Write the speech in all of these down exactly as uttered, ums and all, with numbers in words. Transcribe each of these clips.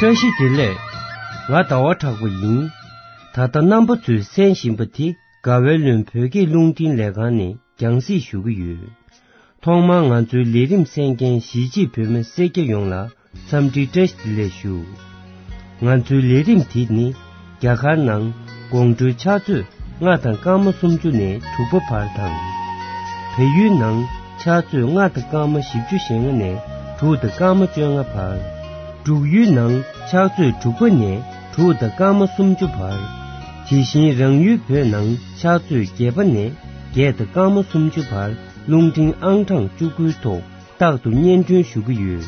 བཀྲ་ཤིས་བདེ་ལེགས། ང་ཟླ་བ་གྲགས་པ་ཡིན། ད་ལྟ་རྣམ་པ་ཚོས་གསན་བཞིན་པ་དེ་དགའ་བའི་ལུང་བོད་སྐད་རླུང་འཕྲིན་ལས་ཁང་ནས་རྒྱང་སྲིང་ཞུ་གི་ཡོད། ཐོག་མར་ང་ཚོའི་ལས་རིམ་གསན་མཁན་གཞིས་བྱེས་བོད་མི་སེར་སྐྱ་ཡོངས་ལ་འཚམས་འདྲི་བཀྲ་ཤིས་བདེ་ལེགས་ཞུ། ང་ཚོའི་ལས་རིམ་དེ་ནི་རྒྱ་གར་ནང་དགོང་དྲོའི་ཕྱག་ཚོད་ལྔ་དང་སྐར་མ་སུམ་ཅུ་ནས་དྲུག་པ་བར་དང་། བལ་ཡུལ་ནང་ཕྱག་ཚོད་ལྔ་དང་སྐར་མ་བཞི་བཅུ་ཞེ་ལྔ་ནས་དྲུག་དང་སྐར་མ་བཅོ་ལྔ་བར། འབྲུག་ཡུལ་ནང་ཕྱག་ཚོད་དྲུག་པ་ནས་དྲུག་དང་སྐར་མ་སུམ་ཅུ་བར། དེ་བཞིན་རང་ཡུལ་བོད་ནང་ཕྱག་ཚོད་བརྒྱད་པ་ནས་བརྒྱད་དང་སྐར་མ་སུམ་ཅུ་བར་རླུང་འཕྲིན་ཨང་གྲངས་བཅུ་དགུའི་ཐོག་རྟག་ཏུ་སྙན་སྒྲོན་ཞུ་གི་ཡོད།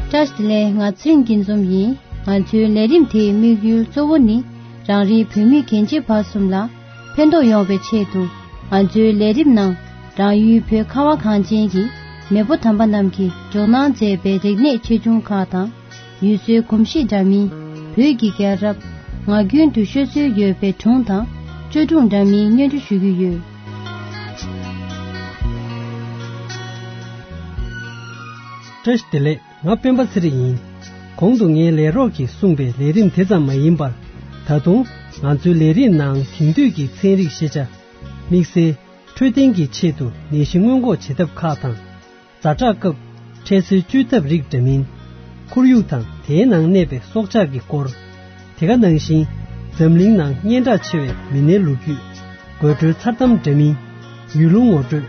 བཀྲ་ཤིས་བདེ་ལེགས། ང་ཚེ་རིང་སྐྱིད་འཛོམས་ཡིན། ང་ཚོའི་ལས་རིམ་དེའི་དམིགས་ཡུལ་གཙོ་བོ་ནི་རང་རེའི་བོད་མི་རྒན་བྱིས་བར་གསུམ་ལ་ཕན་ཐོགས་ཡོང་བའི་ཆེད་དུ། ང་ཚོའི་ལས་རིམ་ནང་རང་ཡུལ་བོད་ཁ་བ་གངས་ཅན་གྱི་མེས་པོ་དམ་པ་རྣམས་ཀྱིས་འཇོག་གནང་མཛད་པའི་རིག་གནས་ཆེ་ཆུང་ཁག་དང་། ཡུལ་སྲོལ་གོམས་གཤིས་འདྲ་མིན། བོད་ཀྱི་རྒྱལ་རབས། ངག་རྒྱུན་དུ་ཤོད་སྲོལ་ཡོད་པའི་སྒྲུང་དང་བཅོས་སྒྲུང་འདྲ་མིན་སྙན་སྒྲོན་ཞུ་གི་ཡོད། བཀྲ་ཤིས་བདེ་ལེགས། ང་སྤེན་པ་ཚེ་རིང་ཡིན། གོང་དུ་ངའི་ལས་རོགས་ཀྱིས་གསུངས་པའི་ལས་རིམ་དེ་ཙམ་མ་ཡིན་པར། ད་དུང་ང་ཚོའི་ལས་རིམ་ནང་དེང་དུས་ཀྱི་ཚན་རིག་ཤེས་བྱ། དམིགས་བསལ་འཕྲོད་བསྟེན་གྱི་ཆེད་དུ་ནད་གཞི་སྔོན་འགོག་བྱེད་ཐབས་ཁག་དང་། ཛ་དྲག་སྐབས་འཕྲལ་སེལ་བཅོས་ཐབས་རིགས་འདྲ་མིན། ཁོར་ཡུག་དང་དེའི་ནང་གནས་པའི་སྲོག་ཆགས་ཀྱི་སྐོར། དེ་ག་ནང་བཞིན་འཛམ་གླིང་ནང་སྙན་གྲགས་ཆེ་བའི་མི་སྣའི་ལོ་རྒྱུས། དགོད་བྲོའི་མཚར་གཏམ་འདྲ་མིན། ཡུལ་ལུང་ངོ་སྤྲོད།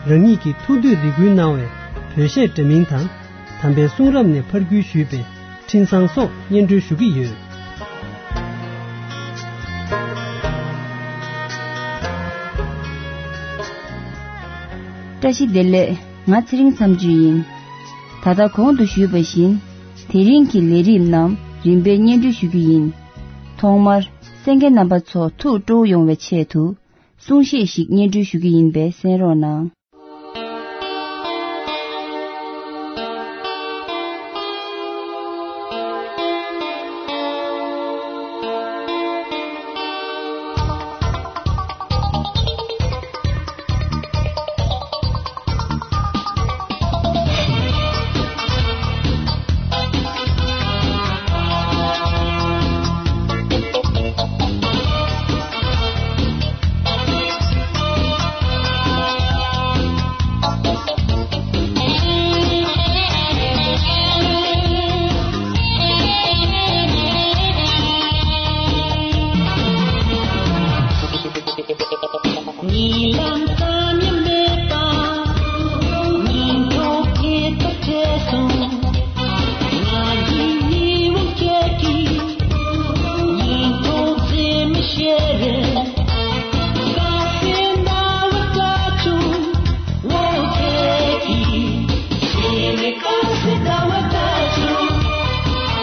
རང་ཉིད་ཀྱི་ཐུགས་འདོད་རེ་སྐུལ་གནང་བའི་བོད་གཞས་འདྲ་མིན་དང་། དམ་པའི་གསུང་རབ་ནས་ཕར་བརྒྱུད་ཞུས་པའི་འཕྲིན་བཟང་སོགས་སྙན་སྒྲོན་ཞུ་གི་ཡོད། བཀྲ་ཤིས་བདེ་ལེགས། ང་ཚེ་རིང་མཚམས་གཅོད་ཡིན། ད་ལྟ་གོང་དུ་ཞུས་པ་བཞིན། དེ་རིང་གི་ལས་རིམ་རྣམས་རིམ་པས་སྙན་སྒྲོན་ཞུ་རྒྱུ་ཡིན། ཐོག་མར་གསན་མཁན་རྣམ་པ་ཚོ་ཐུགས་སྤྲོ་བོ་ཡོང་བའི་ཆེད་དུ། གསུང་བཤད་ཞིག་སྙན་སྒྲོན་ཞུ་རྒྱུ་ཡིན་པས་གསན་རོགས་གནང་། ཉིན་ལམ་ཙམ་ཡང་མེད་པ། ཉིན་ཐོ་ཁྱེད་དང་བྲལ་སོང་། ང་ཡི་ཉི་འོང་ཁྱེད་ཀྱིས། ཉིན་ཐོ་མཛེས་མི་ཤེས་རེད། ཀ་སེ་ཟླ་བ་འདྲ་བྱུང་། ངོ་ཁྱེད་ཀྱིས། ཤེས་མེད་ཀ་སེ་ཟླ་བ་འདྲ་བྱུང་།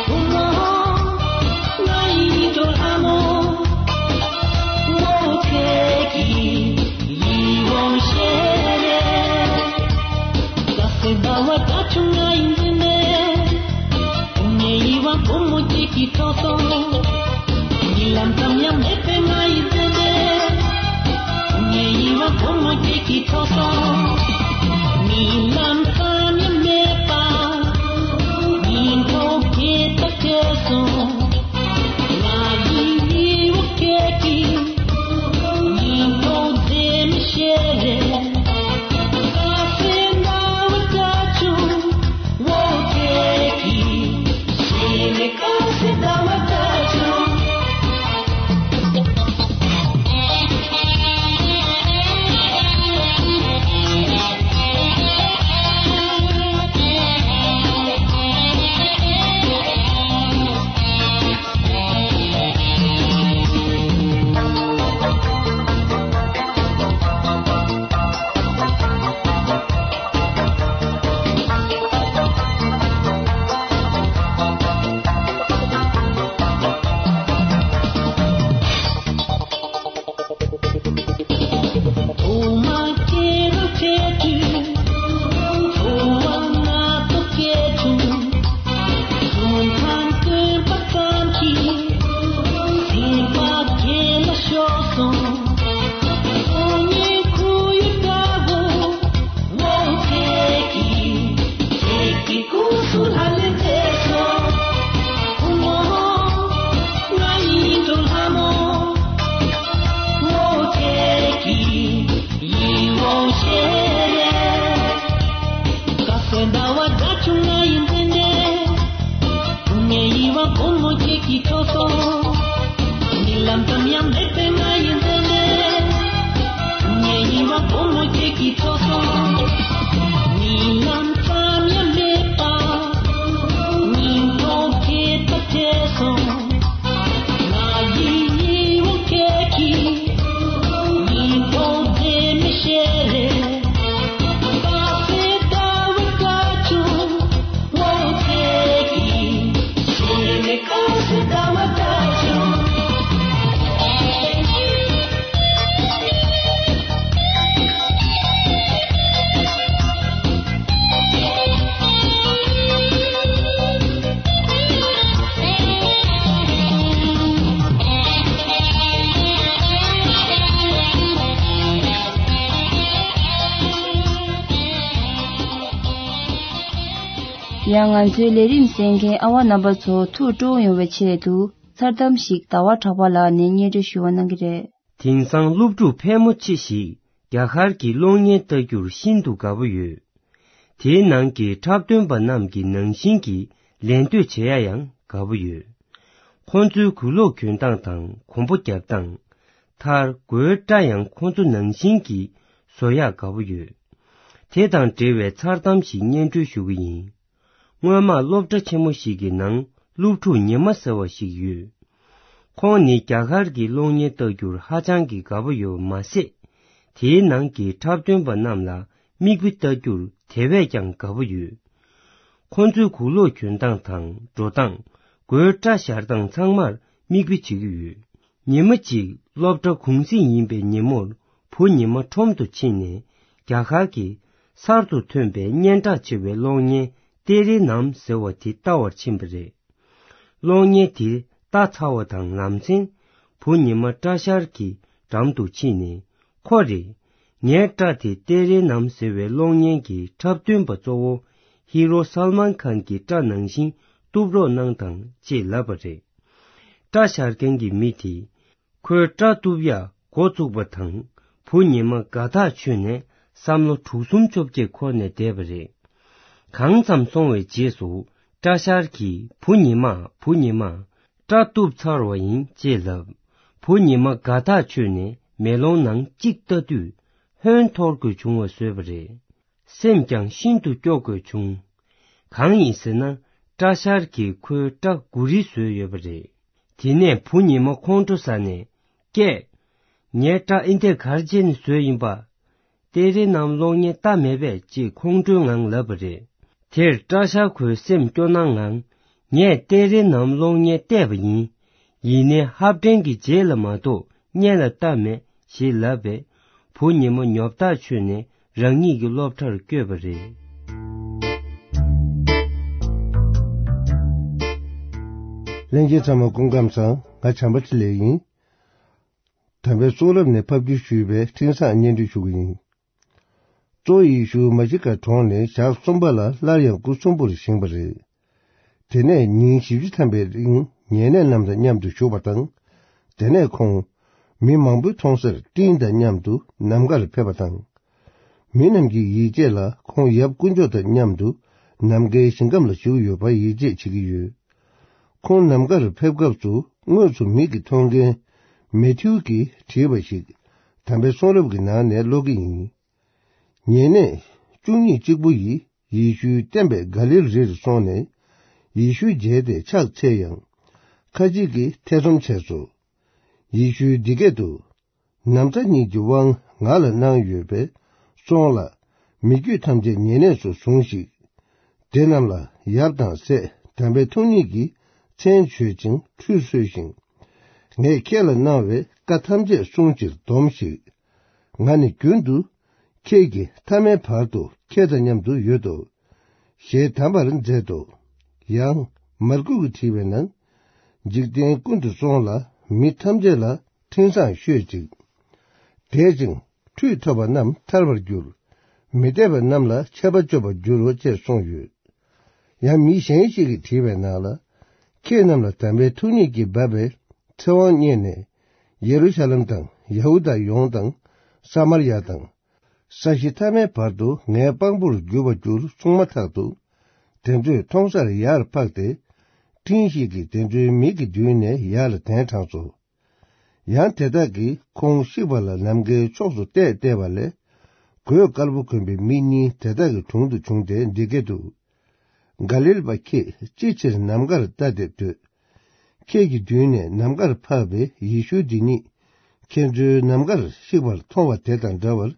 བུ་མོ། ང་ཡི་འགྲོ་ལྷ་མོ། ངོ་ཁྱེད་ཀྱིས་ཡིད་འོང་ཤེས་རེད། ཀ་སེ་ཟླ་བ་འདྲ་བྱུང་ང་ཡི་འཛིན་མེད། ངའི་བ་བུ་མོ་ཁྱེད་ཀྱིས་འཕྲོག་སོང་། ཉིན་ལམ་ཙམ་ཡང་མེད་པའི་ང་ཡི་འཛིན་མེད། ངའི་བ་བུ་མོ་ཁྱེད་ཀྱིས་འཕྲོག་སོང་། ཉིན་ལམ་ཙམ་ཡང་མེད་པ། ཉིན་ཐོ་ཁྱེད་དང་བྲལ་སོང་། ང་ཡི་ཉི་འོང་ཁྱེད་ཀྱིས། ཉིན་ཐོ་མཛེས་མི་ཤེས་རེད། ཀ་སེ་ཟླ་བ་འདྲ་བྱུང་། ངོ་ཁྱེད་ཀྱིས། ཤེས་མེད་ཀ་སེ་ཟླ་བ་འདྲ་ ཡང་ང་ཚོའི་ལས་རིམ་གསན་མཁན་ཨ་བ་རྣམ་པ་ཚོ་ཐུགས་སྤྲོ་ཡོང་བའི་ཆེད་དུ། མཚར་གཏམ་ཞིག་ཟླ་བ་གྲགས་པ་ལགས་ནས་སྙན་སྒྲོན་ཞུ་བ་གནང་གི་རེད། དེང་སང་སློབ་ཕྲུག་ཕལ་མོ་ཆེ་ཞིག་རྒྱ་གར་གྱི་གློག་བརྙན་ལྟ་རྒྱུར་ཤིན་ཏུ་དགའ་པོ་ཡོད། དེའི་ནང་གི་འཁྲབ་སྟོན་པ་རྣམས་ཀྱི་ནང་བཞིན་གྱི་ལད་ཟློས་བྱེད་ཡ་ཡང་དགའ་པོ་ཡོད། ཁོང་ཚོའི་གོས་ལོག་གྱོན་སྟངས་དང་གོམ་པ་རྒྱབ་སྟངས། མཐར་མགོའི་སྐྲ་ཡང་ཁོང་ཚོ་ནང་བཞིན་གྱིས་བཟོ་ཡག་དགའ་པོ་ཡོད། དེ་དང་འབྲེལ་བའི་མཚར་གཏམ་ཞིག་སྙན་སྒྲོན་ཞུ་གི་ཡིན། སྔོན་མ་སློབ་གྲྭ་ཆེན་མོ་ཞིག་གི་ནང་སློབ་ཕྲུག་ཉི་མ་ཟེར་བ་ཞིག་ཡོད། ཁོང་ནི་རྒྱ་གར་གྱི་གློག་བརྙན་ལྟ་རྒྱུར་ཧ་ཅང་གི་དགའ་པོ་ཡོད་པ་མ་ཟད། དེའི་ནང་གི་འཁྲབ་སྟོན་པ་རྣམས་ལ་མིག་དཔེ་ལྟ་རྒྱུར་དེ་བས་ཀྱང་དགའ་པོ་ཡོད། ཁོང་ཚོའི་གོས་ལོག་གྱོན་སྟངས་དང་འགྲོ་སྟངས། མགོའི་སྐྲ་བཞར་སྟངས་ཚང་མར་མིག་དཔེ་བྱེད་ཀྱི་ཡོད། ཉི་མ་གཅིག་སློབ་གྲྭ་གུང་གསེང་ཡིན་པའི་ཉིན་མོར་བུ་ཉི་མ་ཁྲོམ་དུ་ཕྱིན་ནས་རྒྱ་གར་གྱི་གསར་དུ་ཐོན་པའི་སྙན་གྲགས་ཆེ་བའི་གློག་བརྙན་ཏེ་རེ་ནམ་ཟེར་བ་དེ་ལྟ་བར་ཕྱིན་པ་རེད། གློག་བརྙན་དེ་ལྟ་ཚར་བ་དང་ལམ་སེང་བུ་ཉི་མ་སྐྲ་བཞར་གྱི་འགྲམ་དུ་ཕྱིན་ནས་ཁོ་རེ། ངའི་སྐྲ་དེ་ཏེ་རེ་ནམ་ཟེར་བའི་གློག་བརྙན་གྱི་འཁྲབ་སྟོན་པ་གཙོ་བོ་ཧི་རོ་སལ་མཱན་ཁཱན་གྱི་སྐྲ་ནང་བཞིན་གཏུབ་རོགས་གནང་དང་ཅེས་ལབ་པ་རེད། སྐྲ་བཞར་མཁན་གྱི་མི་དེས་ཁོའི་སྐྲ་གཏུབ་ཡག་འགོ་བཙུགས་པ་དང་བུ་ཉི་མ་དགའ་ཐག་ཆོད་ནས་བསམ་བློ་དྲུག་གསུམ་བཅོ་བརྒྱད་འཁོར་ནས་བསྡད་པ་རེད། གང་ཙམ་སོང་བའི་རྗེས་སུ་སྐྲ་བཞར་གྱིས་བུ་ཉི་མ་བུ་ཉི་མ། སྐྲ་གཏུབ་ཚར་བ་ཡིན་ཅེས་ལབ། བུ་ཉི་མ་དགའ་ཐག་ཆོད་ནས་མེ་ལོང་ནང་གཅིག་ལྟ་དུས་ཧོན་འཐོར་དགོས་བྱུང་བ་བཟོས་པ་རེད། སེམས་ཀྱང་ཤིན་ཏུ་སྐྱོ་དགོས་བྱུང་། གང་ཡིན་ཟེར་ན་སྐྲ་བཞར་གྱིས་ཁོའི་སྐྲ་མགོ་རིལ་བཟོས་ཡོད་པ་རེད། དེ་ནས་བུ་ཉི་མ་ཁོང་ཁྲོ་ཟ་ནས་སྐད། ངའི་སྐྲ་ཨེ་འདྲས་ག་རེ་བྱས་ནས་བཟོས་ཡིན་པ། ཏེ་རེ་ནམ་གློག་བརྙན་ལྟ་མེད་པས་ཅེས་ཁོང་ཁྲོའི་ངང་ལབ་པ་རེད། དེར་སྐྲ་བཞར་ཁོའི་སེམས་སྐྱོ་སྣང་ངང་། ངས་ཏེ་རེ་ནམ་གློག་བརྙན་བལྟས་པ་ཡིན། ཡིན་ནའི་ཧབ་ཏན་གྱི་རྗེས་ལ་མ་གཏོགས་སྔོན་ལ་ལྟ་མེད་ཞེས་ལབ་པས། བུ་ཉི་མ་ཉོབ་ཐག་ཆོད་ནས་རང་ཉིད་ཀྱི་སློབ་གྲྭར་བསྐྱོད་པ་རེད། ལྷན་རྒྱས་ཚང་མ་སྐུ་ཁམས་བཟང་། ང་བྱམས་པ་ཆེ་ལེགས་ཡིན། དམ་པའི་གསུང་རབ་ནས་ཕབ་བསྒྱུར་ཞུས་པའི་འཕྲིན་བཟང་སྙན་སྒྲོན་ཞུ་གི་ཡིན། གཙོ་བོ་ཡེ་ཤུ་མ་ཤི་ཀ་གྲོངས་ནས་ཞག་གསུམ་པ་ལ་སླར་ཡང་སྐུ་གསོན་པོར་བཞེངས་པ་རེད། དེ་ནས་ཉིན་བཞི་བཅུ་ཐམ་པའི་རིང་ཉེ་གནས་རྣམས་དང་མཉམ་དུ་བཞུགས་པ་དང་། དེ་ནས་ཁོང་མི་མང་པོས་མཐོང་སར་སྤྲིན་དང་མཉམ་དུ་ནམ་མཁར་ཕེབས་པ་དང་། མི་རྣམས་ཀྱིས་ཡིད་ཆེས་ལ་ཁོང་ཡབ་དཀོན་མཆོག་དང་མཉམ་དུ་ནམ་མཁའི་ཞིང་ཁམས་ལ་བཞུགས་ཡོད་པར་ཡིད་ཆེས་བྱེད་ཀྱི་ཡོད། ཁོང་ནམ་མཁར་ཕེབས་སྐབས་སུ་དངོས་སུ་མིག་གིས་མཐོང་མཁན་མེ་ཐིའུ་གིས་བྲིས་པ་ཞིག་དམ་པའི་གསུང་རབ་ཀྱི་ནང་ནས་ཀློག་གི་ཡིན། ཉེ་གནས་བཅུ་གཉིས་གཅིག་པུ་ཡིས་ཡེ་ཤུའི་བསྟན་པའི་ག་ལིལ་རིར་སོང་ནས་ཡེ་ཤུ་མཇལ་ཏེ་ཕྱག་འཚལ་ཡང་། ཁ་ཅིག་གིས་ཐེ་ཚོམ་བྱས་སོ། ཡེ་ཤུས་འདི་སྐད་དུ། ན་བཟའ་གཉིས་ཀྱི་དབང་ང་ལ་གནང་ཡོད་པས་སོང་ལ། མི་རྒྱུད་ཐམས་ཅད་ཉེ་གནས་སུ་ཟུང་ཞིག་དེ་རྣམས་ལ་ཡབ་དང་སྲས་དམ་པའི་ཐུགས་ཉིད་ཀྱི་མཚན་བརྗོད་ཅིང་ཁྲུས་གསོལ་ཞིང་། ངས་ཁྱེད་ལ་གནང་བའི་བཀའ་ཐམས་ཅད་སྲུང་ཕྱིར་སྡོམས་ཤིག་ང་ནི་རྒྱུན་དུ་ཁྱེད་ཀྱི་མཐའ་མའི་བར་དུ་ཁྱེད་དང་མཉམ་དུ་ཡོད་དོ། ཞེས་གདམས་པར་མཛད་དོ། ཡང་མར་ཀུ་གིས་བྲིས་པའི་ནང་། འཇིག་རྟེན་ཀུན་ཏུ་སོང་ལ་མི་ཐམས་ཅད་ལ་འཕྲིན་བཟང་ཤོད་ཅིག་དད་ཅིང་ཁྲུས་ཐོབ་པ་རྣམས་ཐར་བར་འགྱུར། མི་དད་པ་རྣམས་ལ་ཆད་པ་གཅོད་པར་འགྱུར་རོ་ཅེས་གསུངས་ཡོད། ཡང་མི་གཞན་ཞིག་གིས་བྲིས་པའི་ནང་ལ། ཁྱེད་རྣམས་ལ་དམ་པའི་ཐུགས་ཉིད་ཀྱིས་འབབ་པའི་ཚེ་དབང་བརྙེས་ནས། ཡེ་རུ་ཤ་ལེམ་དང་ཡ་ཧུ་དཱ་ཡོངས་དང་། ས་མར་ཡ་དང་། ས་གཞི་མཐའ་མའི་བར་དུ་ངའི་དཔང་པོར་འགྱུར་བར་འགྱུར་གསུངས་མ་ཐག་ཏུ། དེ་ཚོས་མཐོང་སར་ཡར་འཕགས་ཏེ། སྤྲིན་ཞིག་གིས་དེ་ཚོའི་མིག་གི་མདུན་ནས་ཡར་ལ་གདན་དྲངས་སོ། ཡང་དེ་དག་གིས་ཁོང་གཤེགས་པ་ལ་ནམ་མཁའི་ཕྱོགས་སུ་བལྟས་བལྟས་པ་ལས། གོས་དཀར་པོ་གོན་པའི་མི་གཉིས་དེ་དག་གི་དྲུང་དུ་བྱུང་སྟེ་འདི་སྐད་དུ། ག་ལིལ་པ་ཁྱེད་ཅིའི་ཕྱིར་ནམ་མཁར་ལྟ་སྟེ་སྡོད། ཁྱེད་ཀྱི་མདུན་ནས་ནམ་མཁར་འཕགས་པའི་ཡེ་ཤུ་འདི་ཉིད་ཁྱེད་ཚོའི་ནམ་མཁར་གཤེགས་པར་མཐོང་བ་དེ་དང་འདྲ་བར་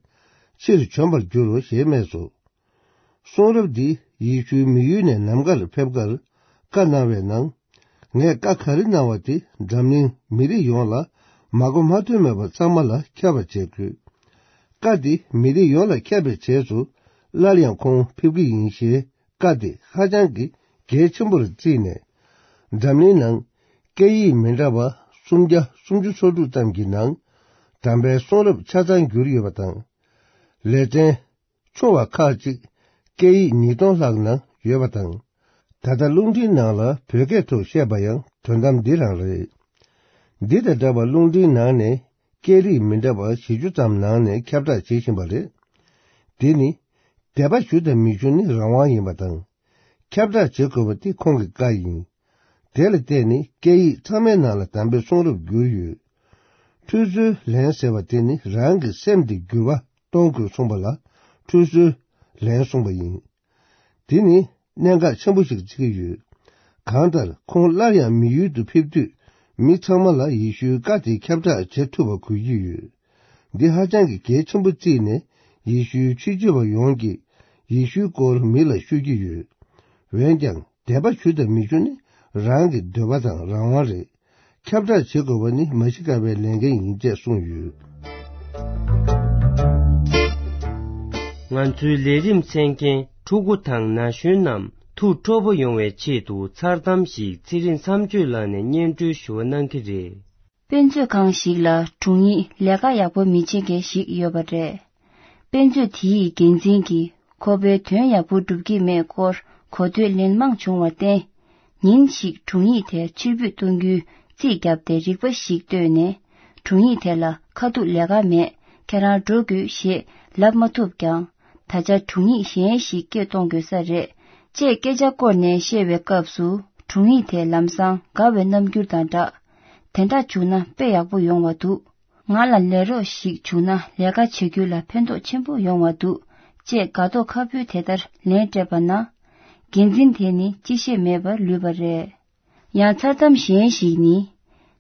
ཕྱིར་བྱོན་པར་འགྱུར་རོ་ཞེས་སྨྲས་སོ། གསུང་རབ་འདི་ཡེ་ཤུའི་མི་ཡུལ་ནས་ནམ་མཁར་ཕེབས་ཁར་བཀའ་གནང་བའི་ནང་། ངས་བཀའ་ག་རེ་གནང་བ་དེ་འཛམ་གླིང་མི་རིགས་ཡོངས་ལ་མ་གོ་མ་ཐོས་མེད་པ་ཚང་མ་ལ་ཁྱབ་པར་བྱེད་དགོས། བཀའ་འདི་མི་རིགས་ཡོངས་ལ་ཁྱབ་པའི་རྗེས་སུ་སླར་ཡང་ཁོང་ཕེབས་ཀྱི་ཡིན་ཞེས་བཀའ་དེ་ཧ་ཅང་གི་གལ་ཆེན་པོར་བརྩིས་ནས། འཛམ་གླིང་ནང་སྐད་ཡིག་མི་འདྲ་བ་སུམ་བརྒྱ་སུམ་ཅུ་སོ་དྲུག་ཙམ་གྱི་ནང་དམ་པའི་གསུང་རབ་ཆ་ཚང་བསྒྱུར་ཡོད་པ་དང་། ལེ་ཚན་ཆུང་བ་ཁག་ཅིག་སྐད་ཡིག་ཉིས་སྟོང་ལྷག་ནང་ཡོད་པ་དང་། ད་ལྟ་རླུང་འཕྲིན་ནང་ལ་བོད་སྐད་ཐོག་བཤད་པ་ཡང་དོན་དམ་འདི་རང་རེད། འདི་དང་འདྲ་བར་རླུང་འཕྲིན་ནང་ནས་སྐད་རིགས་མི་འདྲ་བ་བཞི་བཅུ་ཙམ་ནང་ནས་ཁྱབ་བསྒྲགས་བྱེད་བཞིན་པ་རེད། འདི་ནི་དད་པ་ཞུ་དང་མི་ཞུ་ནི་རང་དབང་ཡིན་པ་དང་། ཁྱབ་བསྒྲགས་བྱེད་དགོས་པ་དེ་ཁོང་གི་བཀའ་ཡིན། དེ་ལ་བརྟེན་ནས་སྐད་ཡིག་ཚང་མའི་ནང་ལ་དམ་པའི་གསུང་རབ་བསྒྱུར་ཡོད། ཁྲུས་གསོལ་ལན་ཟེར་བ་དེ་ནི་རང་གི་སེམས་དེ་འགྱུར་བ་གཏོང་དགོས་གསུངས་པ་ལ་ཁྲུས་གསོལ་ལན་གསུངས་པ་ཡིན། དེ་ནི་གནད་འགག་ཆེན་པོ་ཞིག་བརྩི་གི་ཡོད། གང་ལྟར་ཁོང་སླར་ཡང་མི་ཡུལ་དུ་ཕེབས་དུས་མི་ཚང་མ་ལ་ཡེ་ཤུའི་བཀའ་དེ་ཁྱབ་བསྒྲགས་བྱེད་ཐུབ་པ་དགོས་ཀྱི་ཡོད། འདི་ཧ་ཅང་གི་གལ་ཆེན་པོ་བརྩིས་ནས་ཡེ་ཤུའི་ཆོས་བྱེད་པ་ཡོངས་ཀྱིས་ཡེ་ཤུའི་སྐོར་མི་ལ་ཤོད་ཀྱི་ཡོད། འོན་ཀྱང་དད་པ་ཞུ་དང་མི་ཞུ་ནི་རང་གི་འདོད་པ་དང་རང་དབང་རེད། ཁྱབ་བསྒྲགས་བྱེད་དགོས་པ་ནི་མ་ཤི་ཀ་པའི་ལས་འགན་ཡིན་ཅེས་གསུངས་ཡོད། ང་ཚོའི་ལས་རིམ་གསན་མཁན་ཕྲུ་གུ་དང་ན་གཞོན་རྣམས་ཐུགས་སྤྲོ་པོ་ཡོང་བའི་ཆེད་དུ་མཚར་གཏམ་ཞིག་ཚེ་རིང་མཚམས་གཅོད་ལགས་ནས་སྙན་སྒྲོན་ཞུ་བ་གནང་གི་རེད། དཔེ་མཛོད་ཁང་ཞིག་ལ་དྲུང་ཡིག་ལས་ཀ་ཡག་པོ་མི་བྱེད་མཁན་ཞིག་ཡོད་པ་རེད། དཔེ་མཛོད་དེའི་འགན་འཛིན་གྱིས་ཁོ་པའི་དོན་ཡག་པོ་སྒྲུབ་ཀྱི་མེད་སྐོར་གོ་ཐོས་ལན་མང་བྱུང་བར་བརྟེན། ཉིན་ཞིག་དྲུང་ཡིག་དེ་ཕྱིར་འབུད་གཏོང་རྒྱུའི་རྩིས་བརྒྱབ་སྟེ་རིག་པ་ཞིག་བཏོན་ནས། དྲུང་ཡིག་དེ་ལ་ཁ་ཐུག་ལས་ཀ་མེད། ཁྱེད་རང་འགྲོ་དགོས་ཞེས་ལབ་མ་ཐུབ་ཀྱང་། ད་ཆ་དྲུང་ཡིག་གཞན་ཞིག་སྐད་གཏོང་དགོས་ས་རེད། ཅེས་སྐད་ཆ་བསྐོར་ནས་བཤད་པའི་སྐབས་སུ། དྲུང་ཡིག་དེ་ལམ་སང་དགའ་བའི་རྣམ་འགྱུར་དང་སྦྲགས། དེ་འདྲ་བྱུང་ན་དཔེ་ཡག་པོ་ཡོང་བ་འདུག་ང་ལ་ལས་རོགས་ཤིག་བྱུང་ན་ལས་ཀ་བྱེད་རྒྱུ་ལ་ཕན་ཐོགས་ཆེན་པོ་ཡོང་བ་འདུག་ཅེས་དགའ་མདོག་ཁ་པོའི་དེ་ལྟར་ལན་སྤྲད་པ་ན། འགན་འཛིན་དེ་ནི་ཅི་བཤད་མེད་པར་ལུས་པ་རེད། ཡང་མཚར་གཏམ་གཞན་ཞིག་ནི།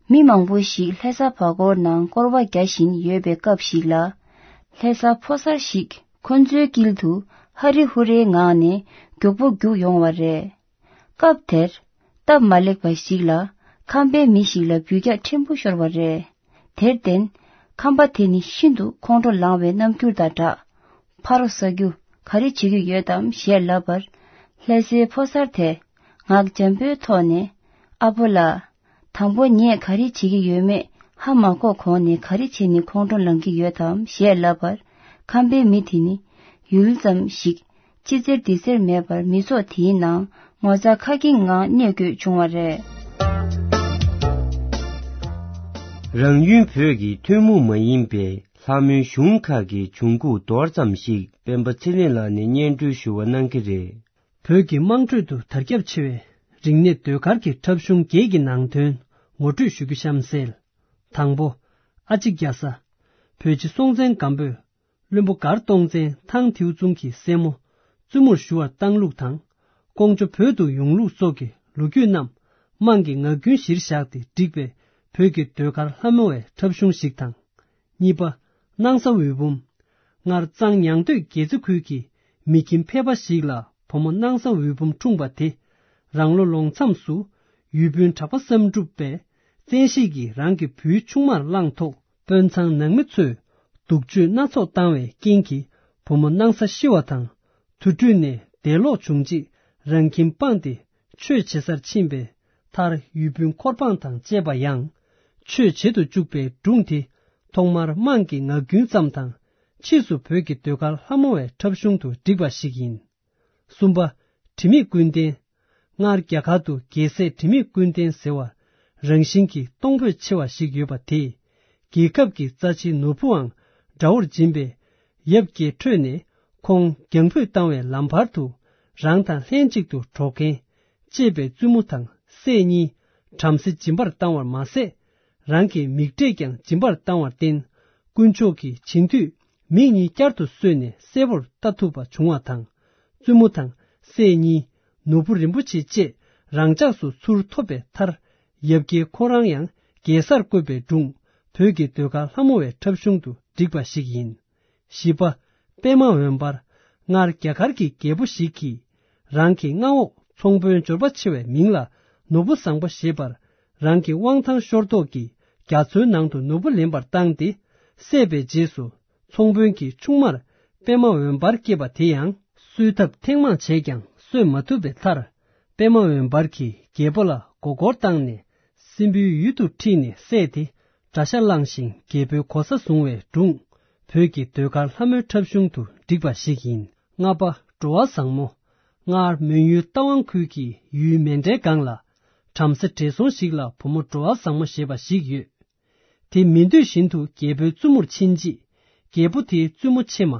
མི་མང་པོ་ཞིག་ལྷ་ས་བར་སྐོར་ནང་སྐོར་བ་རྒྱག་བཞིན་ཡོད་པའི་སྐབས་ཤིག་ལ། ལྷ་ས་ཕོ་གསར་ཞིག་ཁོ་ཚོའི་དཀྱིལ་དུ་ཧ་རི་ཧུ་རེའི་ངང་ནས་མགྱོགས་པོ་རྒྱུགས་ཡོང་བ་རེད། སྐབས་དེར། སྟབས་མ་ལེགས་པ་ཞིག་ལ་ཁམས་པའི་མི་ཞིག་ལ་འབུད་རྒྱག་ཕྲན་བུ་ཤོར་བ་རེད། དེར་བརྟེན། ཁམས་པ་དེ་ནི་ཤིན་ཏུ་ཁོང་ཁྲོ་ལངས་པའི་རྣམ་འགྱུར་དང་སྦྲགས། ཕ་རོ་ཟ་རྒྱུ་ག་རེ་བྱེད་ཀྱི་ཡོད་དམ་ཞེས་ལབ་པར། ལྷ་སའི་ཕོ་གསར་དེས་ངག་འཇམ་པོའི་ཐོག་ནས། ཨ་ཕོ་ལགས། དང་པོ་ངས་ག་རེ་བྱེད་ཀྱི་ཡོད་མེད་ཧ་མ་གོ་གོང་ནས་ག་རེ་བྱས་ནས་ཁོང་ཁྲོ་ལངས་ཀྱི་ཡོད་དམ་ཞེས་ལབ་པར། ཁམས་པའི་མི་དེ་ནི་ཡུལ་ཙམ་ཞིག་ཅི་ཟེར་འདི་ཟེར་མེད་པར་མི་ཚོགས་དེའི་ནང་ངོ་ཚ་ཁ་སྐྱེངས་ངང་གནས་དགོས་བྱུང་བ་རེད། རང་ཡུལ་བོད་ཀྱི་ཐུན་མོང་མ་ཡིན་པའི་ལྷ་མོའི་གཞུང་ཁག་གི་བྱུང་ཁུངས་མདོར་ཙམ་ཞིག་སྤེན་པ་ཚེ་རིང་ལགས་ནས་སྙན་སྒྲོན་ཞུ་བ་གནང་གི་རེད། བོད་ཀྱི་དམངས་ཁྲོད་དུ་དར་ཁྱབ་ཆེ་བའི་རིག་གནས་ཟློས་གར་གྱི་འཁྲབ་གཞུང་བརྒྱད་ཀྱི་ནང་དོན་ངོ་སྤྲོད་ཞུ་རྒྱུ་གཤམ་གསལ། དང་པོ། ཨ་ཅེ་རྒྱ་བཟའ། བོད་རྗེ་སྲོང་བཙན་སྒམ་པོས་བློན་པོ་མགར་སྟོང་བཙན་ཐང་ཐེའུ་ཙུང་གི་སྲས་མོ་བཙུན་མོར་ཞུ་བར་བཏང་ལུགས་དང་། ཀོང་ཇོ་བོད་དུ་ཡོང་ལུགས་སོགས་ཀྱི་ལོ་རྒྱུས་རྣམས་དམངས་ཀྱི་ངག་རྒྱུན་གཞིར་བཞག་སྟེ་བསྒྲིགས་པའི་བོད་ཀྱི་ཟློས་གར་ལྷ་མོ་བའི་འཁྲབ་གཞུང་ཞིག་དང་། གཉིས་པ། སྣང་ས་འོད་འབུམ། སྔར་གཙང་ཉང་སྟོད་རྒྱལ་རྩེ་ཁུལ་གྱི་མི་ཁྱིམ་ཕལ་པ་ཞིག་ལ་བུ་མོ་སྣང་ས་འོད་འབུམ་འཁྲུངས་པ་དེ། རང་ལོ་ལོ་མཚམས་སུ་ཡུལ་དཔོན་གྲགས་པ་བསམ་གྲུབ་པས་བཙན་ཤེད་ཀྱིས་རང་གི་བུའི་ཆུང་མར་བླངས་ཐོག་དཔོན་ཚང་ནང་མི་ཚོས་སྡུག་སྤྱོད་སྣ་ཚོགས་བཏང་བའི་རྐྱེན་གྱིས་བུ་མོ་སྣང་ས་ཤི་བ་དང་། དུར་ཁྲོད་ནས་འདས་ལོག་བྱུང་རྗེས་རང་ཁྱིམ་སྤངས་ཏེ་ཆོས་བྱེད་སར་ཕྱིན་པའི་མཐར་ཡུལ་དཔོན་འཁོར་འབངས་དང་བཅས་པ་ཡང་ཆོས་བྱེད་དུ་བཅུག་པའི་སྒྲུང་དེ་ཐོག་མར་དམངས་ཀྱི་ངག་རྒྱུན་ཙམ་དང་། ཕྱིས་སུ་བོད་ཀྱི་ཟློས་གར་ལྷ་མོ་བའི་འཁྲབ་གཞུང་དུ་བསྒྲིགས་པ་ཞིག་ཡིན། གསུམ་པ། དྲི་མེད་ཀུན་ལྡན། སྔར་རྒྱ་གར་དུ་རྒྱལ་སྲས་དྲི་མེད་ཀུན་ལྡན་ཟེར་བ་རང་བཞིན་གྱིས་གཏོང་ཕོད་ཆེ་བ་ཞིག་ཡོད་པ་དེས། རྒྱལ་ཁབ་ཀྱི་རྩ་ཆེའི་ནོར་བུའང་དགྲ་བོར་སྦྱིན་པས། ཡབ་རྒྱལ་ཁྲོས་ནས་ཁོང་རྒྱང་ཕུད་བཏང་བའི་ལམ་བར་དུ་རང་དང་ལྷན་ཅིག་ཏུ་འགྲོགས་མཁན་གཅེས་པའི་བཙུན་མོ་དང་སྲས་གཉིས་བྲམ་ཟེ་སྦྱིན་པར་བཏང་བར་མ་ཟད། རང་གི་མིག་འབྲས་ཀྱང་སྦྱིན་པར་བཏང་བར་བརྟེན། དཀོན་མཆོག་གིས་བྱིན་མཐུས་ མིག་གཉིས་བསྐྱར་དུ་གསོས་ནས་གསལ་པོར་ལྟ་ཐུབ་པ་བྱུང་བ་དང་། བཙུན་མོ་དང་སྲས་གཉིས་ནོར་བུ་རིན་པོ་ཆེ་བཅས་རང་འཇགས་སུ་ཚུར་ཐོབ་པའི་མཐར། ཡབ་རྒྱལ་ཁོ་རང་ཡང་རྒྱལ་སར་བསྐོས་པའི་སྒྲུང་བོད་ཀྱི་ཟློས་གར་ལྷ་མོ་བའི་འཁྲབ་གཞུང་དུ་བསྒྲིགས་པ་ཞིག་ཡིན། བཞི་པ། པདྨ་འོད་འབར། སྔར་རྒྱ་གར་གྱི་རྒྱལ་པོ་ཞིག་གིས་རང་གི་མངའ་འོག་ཚོང་དཔོན་འབྱོར་པ་ཆེ་བའི་མིང་ལ་ནོར་བུ་བཟང་པོ་ཞེས་པར། རང་གི་དབང་ཐང་ཤོར་དོགས་ཀྱིས་རྒྱ་མཚོའི་ནང་དུ་ནོར་བུ་ལེན་པར་བཏང་སྟེ། བསད་པའི་རྗེས་སུ་ཚོང་དཔོན་གྱི་ཆུང་མར་པདྨ་འོད་འབར་སྐྱེས་པ་དེ་ཡང་གསོད་ཐབས་ཐེངས་མང་བྱས་ཀྱང་གསོད་མ་ཐུབ་པའི་མཐར། པདྨ་འོད་འབར་གྱིས་རྒྱལ་པོ་ལ་མགོ་སྐོར་བཏང་ནས་སྲིན་པོའི་ཡུལ་དུ་ཁྲིད་ནས་བསད་དེ། དགྲ་ཤ་བླངས་ཤིང་རྒྱལ་པོའི་གོ་ས་བཟུང་བའི་སྒྲུང་བོད་ཀྱི་ཟློས་གར་ལྷ་མོའི་འཁྲབ་གཞུང་དུ་བསྒྲིགས་པ་ཞིག་ཡིན། ལྔ་པ། འགྲོ་བ་བཟང་མོ། སྔར་མོན་ཡུལ་རྟ་དབང་ཁུལ་གྱི་ཡུལ་མཎྜལ་སྒང་ལ་བྲམ་ཟེ་བགྲེས་སོང་ཞིག་ལ་བུ་མོ་འགྲོ་བ་བཟང་མོ་ཞེས་པ་ཞིག་ཡོད། དེ་མི་འདོད་བཞིན་དུ་རྒྱལ་པོའི་བཙུན་མོར་ཕྱིན་རྗེས། རྒྱལ་པོ་དེའི་བཙུན་མོ་ཆེ་མ།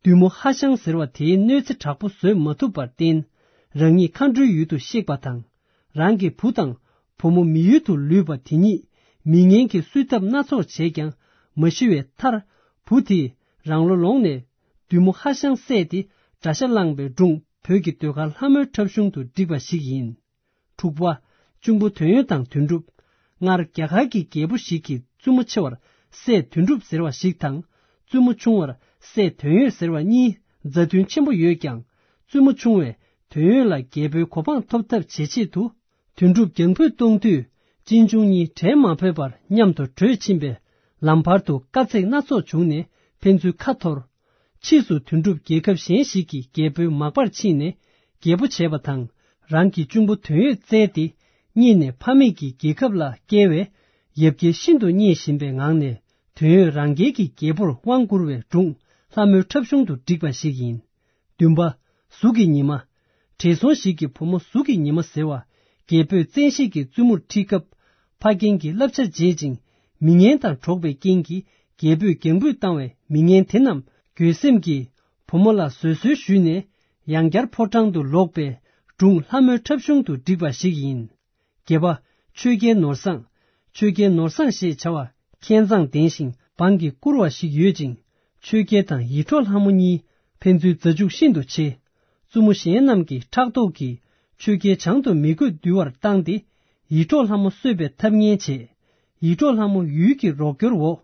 བདུད་མོ་ཧ་ཤང་ཟེར་བ་དེའི་གནོད་འཚེ་དྲག་པོ་བཟོད་མ་ཐུབ་པར་བརྟེན། རང་ཉིད་མཁའ་འགྲོའི་ཡུལ་དུ་གཤེགས་པ་དང་། རང་གི་བུ་དང་བུ་མོ་མི་ཡུལ་དུ་ལུས་པ་དེ་ཉིད་མི་ངན་གྱིས་གསོད་ཐབས་སྣ་ཚོགས་བྱས་ཀྱང་མ་ཤི་བའི་མཐར། བུ་དེས་རང་ལོ་ལོངས་ནས་བདུད་མོ་ཧ་ཤང་བསད་དེ་དགྲ་ཤ་བླངས་པའི་སྒྲུང་བོད་ཀྱི་ཟློས་གར་ལྷ་མོའི་འཁྲབ་གཞུང་དུ་བསྒྲིགས་པ་ཞིག་ཡིན། དྲུག་པ། གཅུང་པོ་དོན་ཡོད་དང་དོན་གྲུབ། སྔར་རྒྱ་གར་གྱི་རྒྱལ་པོ་ཞིག་གིས་བཙུན་མོ་ཆེ་བར་སྲས་དོན་གྲུབ་ཟེར་བ་ཞིག་དང་། བཙུན་མོ་ཆུང་བར་སྲས་དོན་ཡོད་ཟེར་བ་གཉིས་མཛའ་མཐུན་ཆེན་པོ་ཡོད་ཀྱང་། བཙུན་མོ་ཆུང་བས་དོན་ཡོད་ལ་རྒྱལ་པོའི་གོ་འཕང་ཐོབ་ཐབས་བྱེད་ཆེད་དུ། དོན་གྲུབ་རྒྱང་ཕུད་གཏོང་དུས། གཅེན་གཅུང་གཉིས་བྲལ་མ་ཕོད་པར་མཉམ་དུ་བྲོས་ཕྱིན་པས། ལམ་བར་དུ་དཀའ་ཚེགས་སྣ་ཚོགས་བྱུང་ནས་ཕན་ཚུན་ཁ་འཐོར། ཕྱིས་སུ་དོན་གྲུབ་རྒྱལ་ཁབ་གཞན་ཞིག་གི་རྒྱལ་པོའི་མག་པར་ཕྱིན་ནས་རྒྱལ་པོ་བྱས་པ་དང་། རང་གི་གཅུང་པོ་དོན་ཡོད་བཙལ་ཏེ། རྙེད་ནས་ཕ་མེས་ཀྱི་རྒྱལ་ཁབ་ལ་བསྐྱལ་བས། ཡབ་རྒྱལ་ཤིན་ཏུ་མཉེས་བཞིན་པའི་ངང་ནས། དོན་ཡོད་རང་རྒྱལ་གྱི་རྒྱལ་པོར་དབང་བསྐུར་བའི་སྒྲུང་ལྷ་མོའི་འཁྲབ་གཞུང་དུ་བསྒྲིགས་པ་ཞིག་ཡིན། བདུན་པ། གཟུགས་ཀྱི་ཉི་མ། བགྲེས་སོང་ཞིག་གི་བུ་མོ་གཟུགས་ཀྱི་ཉི་མ་ཟེར་བ། རྒྱལ་པོས་བཙན་ཤེད་ཀྱིས་བཙུན་མོར་ཁྲིད་སྐབས། ཕ་རྒན་གྱི་བསླབ་བྱ་བརྗེད་ཅིང་། མི་ངན་དང་འགྲོགས་པའི་རྐྱེན་གྱིས། རྒྱལ་པོས་རྒྱང་འབུད་བཏང་བས། མི་ངན་དེ་རྣམས་འགྱོད་སེམས་ཀྱིས་བུ་མོ་ལ་བཟོད་གསོལ་ཞུས་ནས། ཡང་བསྐྱར་ཕོ་བྲང་དུ་ལོག་པའི་སྒྲུང་ལྷ་མོའི་འཁྲབ་གཞུང་དུ་བསྒྲིགས་པ་ཞིག་ཡིན། བརྒྱད་པ། ཆོས་རྒྱལ་ནོར་བཟང་། ཆོས་རྒྱལ་ནོར་བཟང་ཞེས་བྱ་བ་མཁས་མཛངས་ལྡན་ཞིང་འབངས་ཀྱིས་བཀུར་བ་ཞིག་ཡོད་ཅིང་། ཆོས་རྒྱལ་དང་ཡིད་འཕྲོག་ལྷ་མོ་གཉིས་ཕན་ཚུན་མཛའ་གཅུགས་ཤིན་ཏུ་ཆེ། བཙུན་མོ་གཞན་རྣམས་ཀྱི་ཕྲག་དོག་གིས་ཆོས་རྒྱལ་བྱང་དུ་མི་རྒོད་འདུལ་བར་བཏང་སྟེ། ཡིད་འཕྲོག་ལྷ་མོ་གསོད་པའི་ཐབས་ངན་བྱས། ཡིད་འཕྲོག་ལྷ་མོ་ཡུལ་གྱི་རོགས་སྐྱོར་འོག་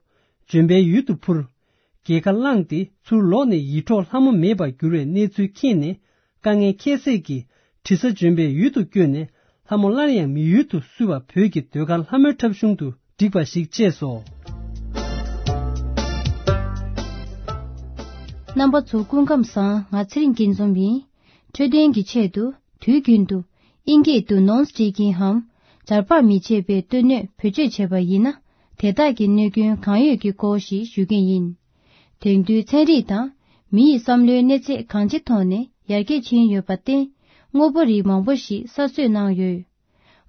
ལྗོན་པའི་ཡུལ་དུ་འཕུར། རྒྱལ་ཁ་བླངས་ཏེ་ཚུར་ལོག་ནས་ཡིད་འཕྲོག་ལྷ་མོ་མེད་པར་འགྱུར་བའི་གནས་ཚུལ་མཁྱེན་ནས། དཀའ་ངལ་ཁྱད་བསད་ཀྱིས་དྲི་ཟ་ལྗོན་པའི་ཡུལ་དུ་བསྐྱོད་ནས། ལྷ་མོ་སླར་ཡང་མི་ཡུལ་དུ་བསུ་བ་བོད་ཀྱི་ཟློས་གར་ལྷ་མོའི་འཁྲབ་གཞུང་དུ་བསྒྲིགས་པ་ཞིག་བཅས་སོ། རྣམ་པ་ཚོ་སྐུ་ཁམས་བཟང་། ང་ཚེ་རིང་སྐྱིད་འཛོམས་ཡིན། འཕྲོད་བསྟེན་གྱི་ཆེད་དུ་དུས་རྒྱུན་དུ་ཨིན་སྐད་དུ་ནོན་སི་ཊི་ཀིང་འམ། འབྱར་བག་མི་བྱེད་པའི་སྟོད་སྣོད་བེད་སྤྱོད་བྱས་པ་ཡིན་ན། དེ་དག་གི་གནོད་སྐྱོན་གང་ཡོད་ཀྱི་སྐོར་ཞིག་ཞུ་གི་ཡིན། དེང་དུས་ཚན་རིག་དང་མི་ཡི་བསམ་བློའི་གནས་ཚད་གང་ཅིའི་ཐོག་ནས་ཡར་རྒྱས་ཕྱིན་ཡོད་པར་བརྟེན། དངོས་པོ་རིགས་མང་པོ་ཞིག་གསར་བཟོས་གནང་ཡོད།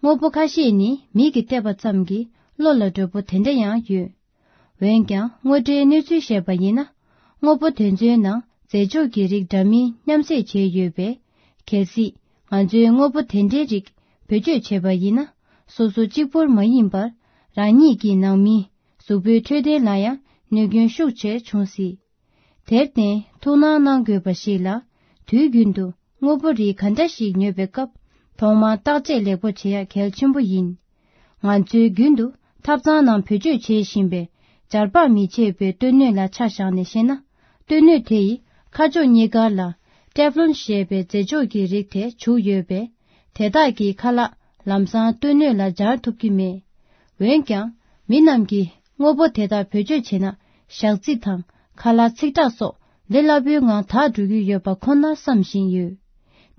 དངོས་པོ་ཁ་ཤས་ནི་མིག་གིས་བལྟས་པ་ཙམ་གྱིས་བློ་ལ་འགྲོ་པོ་དེ་འདྲ་ཡང་ཡོད། འོན་ཀྱང་དངོས་འབྲེལ་གནས་ཚུལ་བཤད་པ་ཡིན་ན། དངོས་པོ་དེ་ཚོའི་ནང་རྫས་སྦྱོར་གྱི་རིགས་འདྲ་མིན་མཉམ་བསྲེས་བྱས་ཡོད་པས། གལ་སྲིད་ང་ཚོས་དངོས་པོ་དེ་འདྲའི་རིགས་བེད་སྤྱོད་བྱས་པ་ཡིན་ན། སོ་སོ་གཅིག་པུར་མ་ཡིན་པར། རང་ཉིད་ཀྱི་ནང་མི་གཟུགས་པོའི་འཕྲོད་བསྟེན་ལ་ཡང་གནོད་སྐྱོན་ཤུགས་ཆེར་འབྱུང་སྲིད། དེར་བརྟེན་ཐུགས་སྣང་གནང་དགོས་པ་ཞིག་ལ། དུས་རྒྱུན་དུ་དངོས་པོ་རིགས་ག་འདྲ་ཞིག་ཉོ་བའི་སྐབས། ཐོག་མར་བརྟག་དཔྱད་ལེགས་པོ་བྱེད་ཡ་གལ་ཆེན་པོ་ཡིན། ང་ཚོས་རྒྱུན་དུ་ཐབ་ཚང་ནང་བེད་སྤྱོད་བྱེད་བཞིན་པའི་འབྱར་བག་མི་བྱེད་པའི་སྟོད་སྣོད་ལ་ཆ་བཞག་ནས་བཤད་ན། སྟོད་སྣོད་དེ་ཡི་ཁ་ཕྱོགས་གཉིས་ཀར་ལ་ཊེབ་ལོན་ཞེས་པའི་རྫས་སྦྱོར་གྱི་རིགས་དེ་བྱུགས་ཡོད་པས། དེ་དག་གིས་ཁ་ལག་ལམ་སང་སྟོད་སྣོད་ལ་འབྱར་ཐུབ་ཀྱི་མེད། འོན་ཀྱང་། མི་རྣམས་ཀྱིས་དངོས་པོ་དེ་དག་བེད་སྤྱོད་བྱས་ན། ཞག་རྩི་དང་ཁ་ལག་ཚིག་དྲེག་སོགས་ལས་སླ་པོའི་ངང་དག་འགྲོ་གི་ཡོད་པ་ཁོ་ནར་བསམ་བཞིན་ཡོད།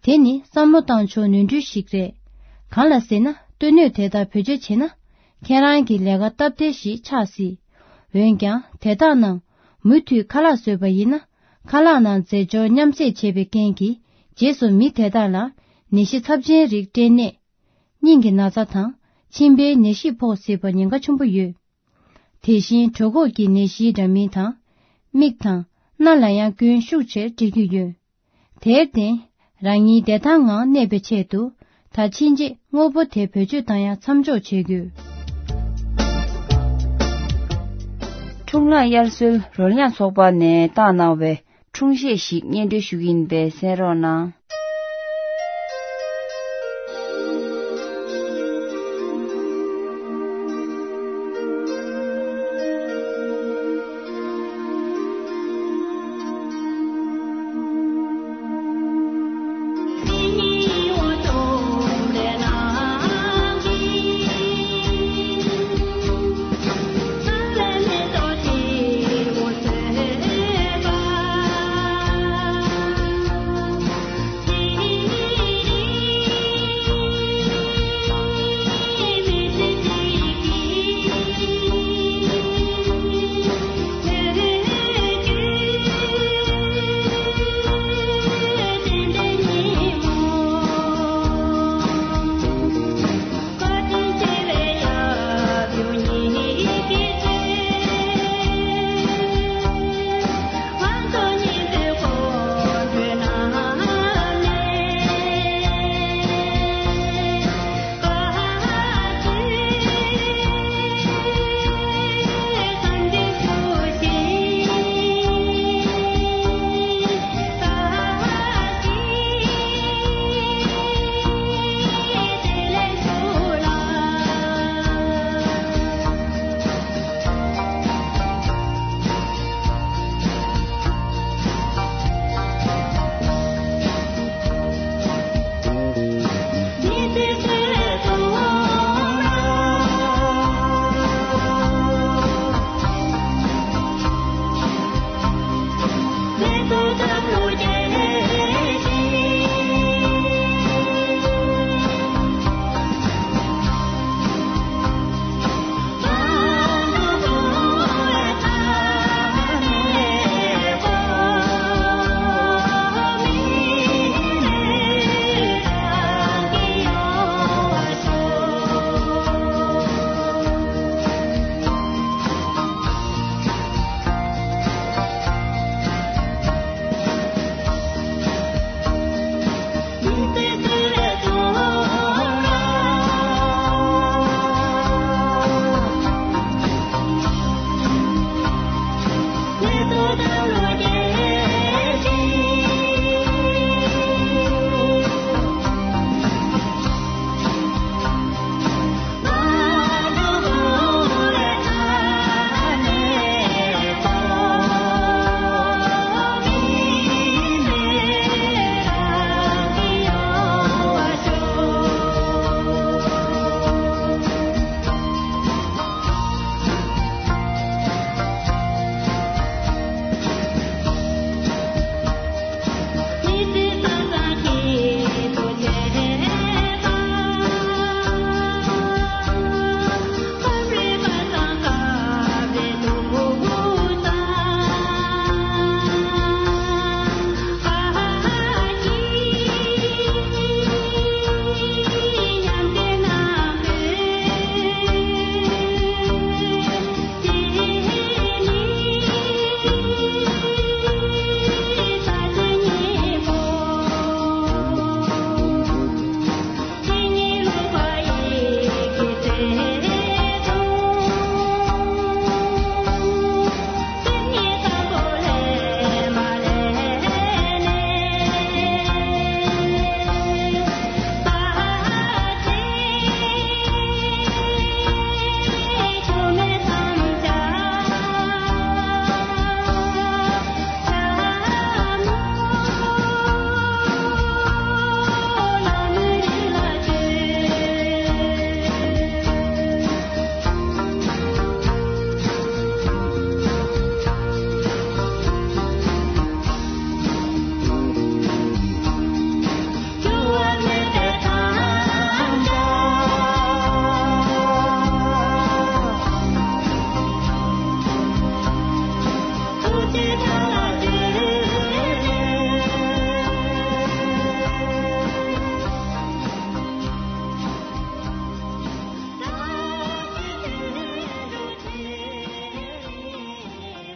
དེ་ནི་བསམ་བློ་བཏང་ཕྱོགས་ནོར་འཁྲུལ་ཞིག་རེད། གང་ལ་ཟེར་ན། སྟོད་སྣོད་དེ་དག་བེད་སྤྱོད་བྱས་ན། ཁྱེད་རང་གི་ལས་ཀ་སྟབས་བདེ་ཞིག་ཆགས་སྲིད། འོན་ཀྱང་། དེ་དག་ནང་མུ་མཐུད་ཁ་ལག་བཟོས་པ་ཡིན་ན། ཁ་ལག་ནང་རྫས་སྦྱོར་མཉམ་བསྲེས་བྱས་པའི་རྐྱེན་གྱིས། རྗེས་སུ་མི་དེ་དག་ལ་ནད་གཞི་ཚབས་ཆེན་རིགས་སྐྲན་ནད། སྙིང་གི་ན་ཚ་དང་། མཆིན་པའི་ནད་གཞི་ཕོག་སྲིད་པར་ཉེན་ཁ་ཆེན་པོ་ཡོད། དེ་བཞིན་གྲོད་ཁོག་གི་ནད་གཞི་འདྲ་མིན་དང་། མིག་དང་། སྣ་ལ་ཡང་སྐྱོན་ཤུགས་ཆེར་འཕྲད་ཀྱི་ཡོད། དེར་བརྟེན། རང་ཉིད་བདེ་ཐང་ངང་གནས་པའི་ཆེད་དུ། ད་ཕྱིན་ཆད་དངོས་པོ་དེ་བེད་སྤྱོད་བཏང་ཡ་མཚམས་འཇོག་བྱེད་དགོས། གཙུག་ལག་དབྱར་གསོལ་རོལ་དབྱངས་ཚོགས་པ་ནས་བཏང་གནང་བའི་འཁྲུངས་གཞས་ཤིག་སྙན་སྒྲོན་ཞུ་གི་ཡིན་པས་གསན་རོགས་གནང་།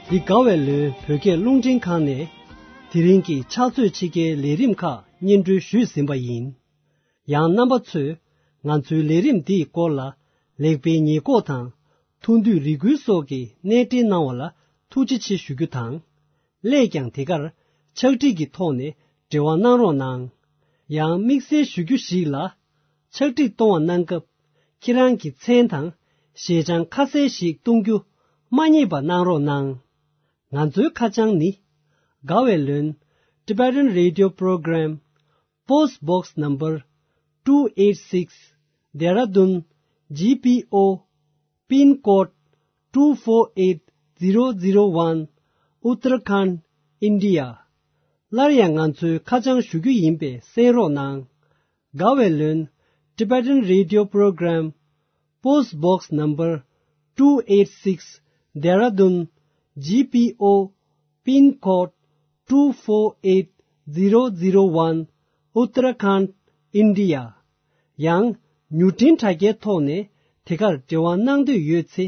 འདི་དགའ་བའི་ལོའི་བོད་སྐད་རླུང་འཕྲིན་ཁང་ནས་དེ་རིང་གི་ཕྱག་ཚོད་ཕྱི་རྒྱལ་ལས་རིམ་ཁག་སྙན་སྒྲོན་ཞུས་ཟིན་པ་ཡིན། ཡང་རྣམ་པ་ཚོས་ང་ཚོའི་ལས་རིམ་འདིའི་སྐོར་ལ་ལེགས་སྤེལ་ཉེས་འགོག་དང་ ཐུགས་འདོད་རེ་སྐུལ་སོགས་ཀྱི་གནས་འབྲེལ་གནང་བ་ལ་ཐུགས་རྗེ་ཆེ་ཞུ་རྒྱུ་དང་། སླད་ཀྱང་དེ་གར་ཕྱག་བྲིས་ཀྱི་ཐོག་ནས་འབྲེལ་བ་གནང་རོགས་གནང་། ཡང་དམིགས་བསལ་ཞུ་རྒྱུ་ཞིག་ལ། ཕྱག་བྲིས་གཏོང་བ་གནང་སྐབས་ཁྱེད་རང་གི་མཚན་དང་ཞལ་བྱང་ཁ་གསལ་ཞིག་གཏོང་རྒྱུ་མ་བསྙེལ་བ་གནང་རོགས་གནང་། ང་ཚོའི་ཁ་བྱང་ནི། དགའ་བའི་ལོན། Tibetan Radio Program, Post Box Number two eight six, Dehradun G P O, Pin Code two four eight zero zero one, Uttarakhand, India. སླར་ཡང་ང་ཚོའི་ཁ་བྱང་ཞུ་རྒྱུ་ཡིན་པས་གསན་རོགས་གནང་། དགའ་བའི་ལོན། Tibetan Radio Program, Post Box Number two eight six, Dehradun G P O, Pin Code two four eight zero zero one, Uttarakhand, India. ཡང་མྱུར་འཕྲིན་དྲ་རྒྱའི་ཐོག་ནས་དེ་གར་འབྲེལ་བ་གནང་འདོད་ཡོད་ཚེ།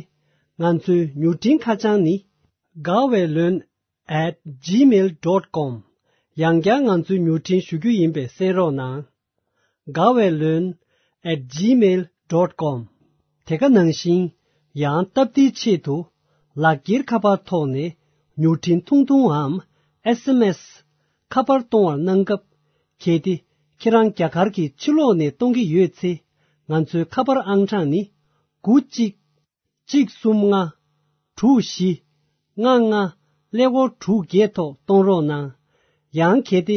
ང་ཚོའི་མྱུར་འཕྲིན་ཁ་བྱང་ནི། དགའ་བའི་ལོན། at gmail dot com། ཡང་བསྐྱར་ང་ཚོའི་མྱུར་འཕྲིན་ཞུ་རྒྱུ་ཡིན་པས་གསན་རོགས་གནང་། དགའ་བའི་ལོན། at gmail dot com། དེ་ག་ནང་བཞིན། ཡང་སྟབས་བདེའི་ཆེད་དུ། ལག་འཁྱེར་ཁ་པར་ཐོག་ནས་མྱུར་འཕྲིན་ཐུང་ཐུང་འམ་S M S ཁ་པར་གཏོང་བར་གནང་སྐབས། གལ་ཏེ་ཁྱེད་རང་རྒྱ་གར་གྱི་ཕྱི་ལོགས་ནས་གཏོང་གི་ཡོད་ཚེ། ང་ཚོའི་ཁ་པར་ཨང་གྲངས་ནི། དགུ་གཅིག་གཅིག་གསུམ་ལྔ། དྲུག་བཞི། ལྔ་ལྔ། ཀླད་ཀོར་དྲུག་བརྒྱད་ཐོག་གཏོང་རོགས་གནང་། ཡང་གལ་ཏེ་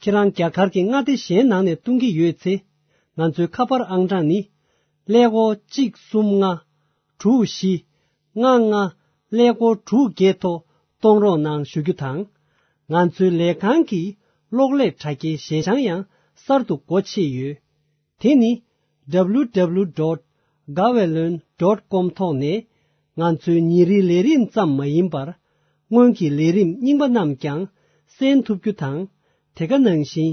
ཁྱེད་རང་རྒྱ་གར་གྱི་མངའ་སྡེ་གཞན་ནང་ནས་གཏོང་གི་ཡོད་ཚེ། ང་ཚོའི་ཁ་པར་ཨང་གྲངས་ནི། ཀླད་ཀོར་གཅིག་གསུམ་ལྔ། དྲུག་བཞི། ལྔ་ལྔ། ཀླད་ཀོར་དྲུག་བརྒྱད་ཐོག་གཏོང་རོགས་གནང་ཞུ་རྒྱུ་དང་། ང་ཚོའི་ལས་ཁང་གི་གློག་ཀླད་དྲ་རྒྱའི་ཞལ་བྱང་ཡང་གསར་དུ་སྒོ་ཕྱེ་ཡོད། དེ་ནི། W W W dot gaweylon dot com ཐོག་ནས་ང་ཚོའི་ཉིན་རེའི་ལས་རིམ་ཙམ་མ་ཡིན་པར། སྔོན་གྱི་ལས་རིམ་རྙིང་པ་རྣམས་ཀྱང་གསན་ཐུབ་རྒྱུ་དང་། དེ་ག་ནང་བཞིན་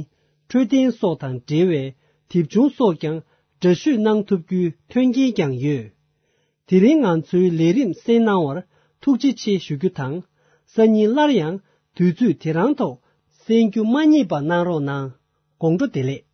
འཕྲོད་བསྟེན་སོགས་དང་འབྲེལ་བའི་དེབ་ཆུང་སོགས་ཀྱང་འདྲ་བཤུས་གནང་ཐུབ་རྒྱུའི་མཐུན་རྐྱེན་ཀྱང་ཡོད། དེ་རིང་ང་ཚོའི་ལས་རིམ་གསན་གནང་བར་ཐུགས་རྗེ་ཆེ་ཞུ་རྒྱུ་དང་། སང་ཉིན་སླར་ཡང་དུས་ཚོད་དེ་རང་ཐོག་གསན་རྒྱུ་མ་བསྙེལ་བ་གནང་རོགས་གནང་། དགོང་དྲོ་བདེ་ལེགས།